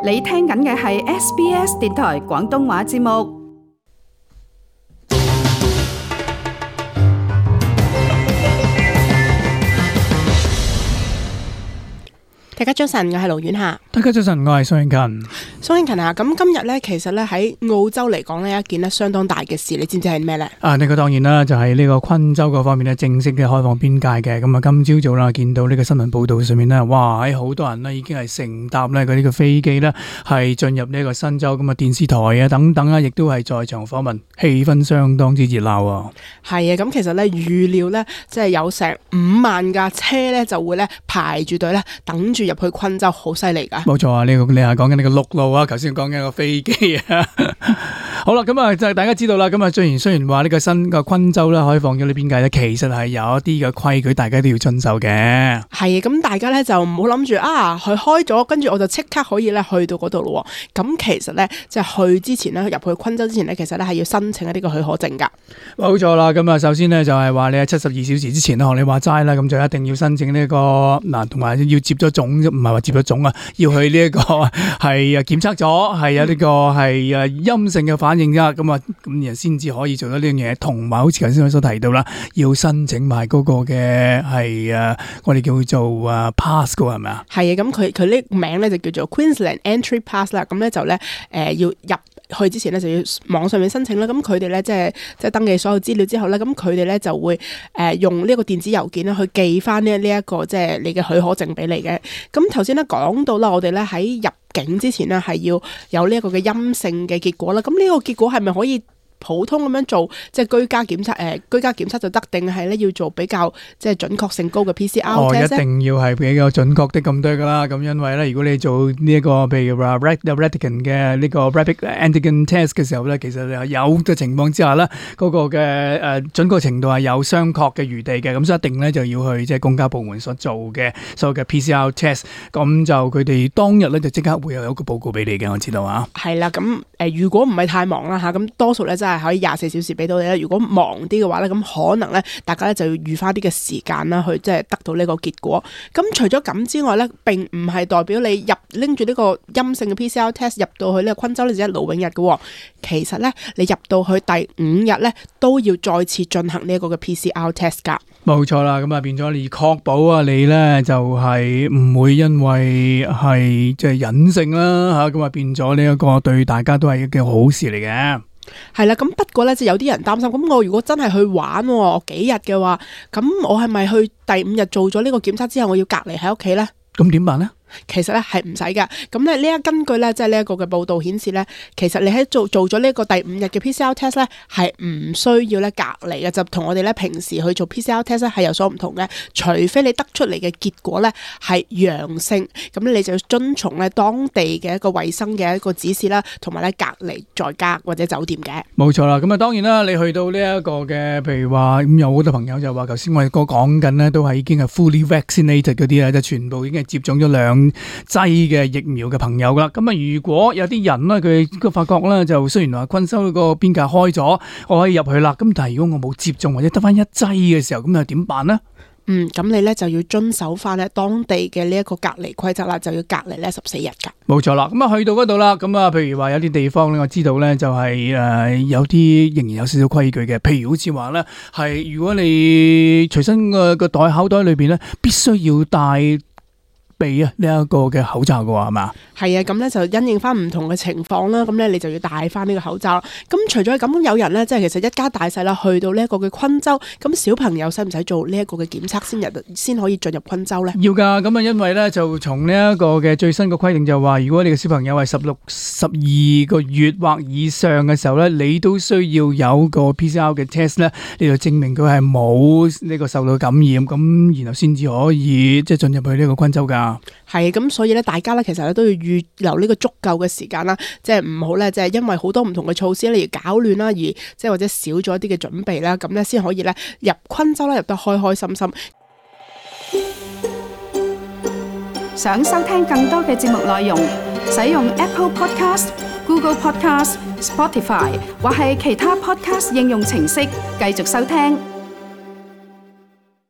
你聽緊嘅係 SBS 電台廣東話節目。大家早晨，我係盧婉霞。大家早晨，我係蘇永勤。蘇永勤啊，咁今日咧，其實咧喺澳洲嚟講呢，一件咧相當大嘅事，你知唔知係咩咧？呢個當然啦，就係呢個昆州嗰方面咧正式嘅開放邊界嘅。咁啊，今朝早啦，見到呢個新聞報道上面咧，哇，好多人咧已經係乘搭咧嗰啲嘅飛機咧，係進入呢個新州。咁啊，電視台啊等等啊，亦都係在場訪問，氣氛相當之熱鬧啊。係啊，咁其實咧預料咧，即係有成5萬架車咧就會咧排住隊咧等住入去昆州，好犀利噶。冇錯啊，你係講緊呢個陸路啊，頭先講緊個飛機啊。好啦，咁啊就大家知道啦。咁啊雖然話呢個新嘅昆州咧開放咗呢邊界咧，其實係有一啲嘅規矩，大家都要遵守嘅。係啊，咁大家咧就唔好諗住啊，佢開咗，跟住我就即刻可以咧去到嗰度咯。咁其實咧即係去之前咧，入去昆州之前咧，其實咧係要申請一啲嘅許可證噶。冇錯啦，咁啊首先咧就係話你喺72小時之前咧，學你話齋啦，咁就一定要申請呢個嗱，同埋要接咗種，唔係話接咗種啊，要去呢一個係檢測咗，係有呢個係陰性嘅反應噶，咁人先至可以做到呢樣嘢。同埋好似頭先我所提到啦，要申請埋嗰個嘅係我哋叫做pass 噶，係咪啊？係啊，咁佢呢個名咧就叫做 Queensland Entry Pass 啦。咁咧就咧要入去之前咧就要網上面申請啦。咁佢哋咧即係登記所有資料之後咧，咁佢哋咧就會用呢個電子郵件咧去寄翻呢一個即係你嘅許可證俾你嘅。咁頭先咧講到啦，我哋咧喺入境之前呢係要有呢一個嘅陰性嘅結果啦。咁呢個結果係咪可以普通咁樣做，即係居家檢測？居家檢測就得，定係咧要做比較即係準確性高嘅 PCR test？ 一定要係比較準確的咁多噶啦。咁因為咧，如果你做呢一個譬如話 Rapid 嘅呢個 Rapid Antigen Test 嘅時候咧，其實有嘅情況之下咧，嗰個嘅準確程度係有商榷嘅餘地嘅。咁所以一定咧就要去即係公家部門所做嘅所有嘅 PCR test。咁就佢哋當日咧就即刻會有一個報告俾你嘅，我知道啊。係啦，咁如果唔係太忙啦嚇，咁多數咧真係可以24小時俾到你啦。如果忙啲嘅話咧，咁可能咧大家咧就要預翻啲嘅時間啦，去即係得到呢個結果。咁除咗咁之外咧，並唔係代表你拎住呢個陰性嘅 PCR test 入到去呢個昆州呢就一勞永逸嘅。其實咧，你入到去第5日咧都要再次進行呢一個嘅 PCR test 㗎。冇錯啦，咁啊變咗你確保啊你咧就係唔會因為係即係隱性啦嚇，咁啊變咗呢一個對大家都係一件好事嚟嘅。係啦，咁不過咧，就有啲人擔心，咁我如果真係去玩，我幾日嘅話，咁我係咪去第5日做咗呢個檢測之後，我要隔離喺屋企咧？咁點辦咧？其實咧係唔使㗎，咁咧根據咧即係呢一個嘅報道顯示咧，其實你喺做咗呢一個第5日嘅 PCR test 咧係唔需要咧隔離嘅，就同我哋咧平時去做 PCR test 咧係有所唔同嘅。除非你得出嚟嘅結果咧係陽性，咁你就要遵從咧當地嘅一個衛生嘅一個指示啦，同埋咧隔離在家或者酒店嘅。冇錯啦，咁啊當然啦，你去到呢一個嘅，譬如話咁有好多朋友就話，頭先我哋講緊咧都係已經係 fully vaccinated 嗰啲咧，就全部已經係接種咗2劑嘅疫苗嘅朋友啦。咁啊，如果有啲人咧，佢個發覺咧，就雖然話昆州個邊界開咗，我可以入去啦。咁但係如果我冇接種或者得翻1劑嘅時候，咁又點辦呢？咁你咧就要遵守翻咧當地嘅呢一個隔離規則啦，就要隔離咧14日噶。冇錯啦，咁啊去到嗰度啦，咁啊譬如話有啲地方咧，我知道咧就係有啲仍然有少少規矩嘅，譬如好似話咧係如果你隨身個口袋裏邊咧，必須要帶備呢一個嘅口罩嘅話係嘛？係啊，咁咧就因應翻唔同嘅情況啦，咁咧你就要戴翻呢個口罩。咁除咗咁，有人咧即係其實一家大細啦，去到呢一個嘅昆州，咁小朋友使唔使做呢一個嘅檢測先可以進入昆州咧？要噶，咁啊因為咧就從呢一個嘅最新嘅規定就話，如果你嘅小朋友係12個月或以上嘅時候咧，你都需要有個 PCR 嘅 test 咧，你就證明佢係冇呢個受到感染，咁然後先至可以即係進入去呢個昆州噶。係咁，所以咧大家咧其實咧都要預留呢個足夠嘅時間啦，即係唔好咧即係因為好多唔同嘅措施咧而搞亂啦，而即係或者少咗一啲嘅準備啦，咁咧先可以咧入昆州咧入得開開心心。想收聽更多嘅節目內容，使用 Apple Podcast、Google Podcast、Spotify 或係其他 Podcast 應用程式繼續收聽。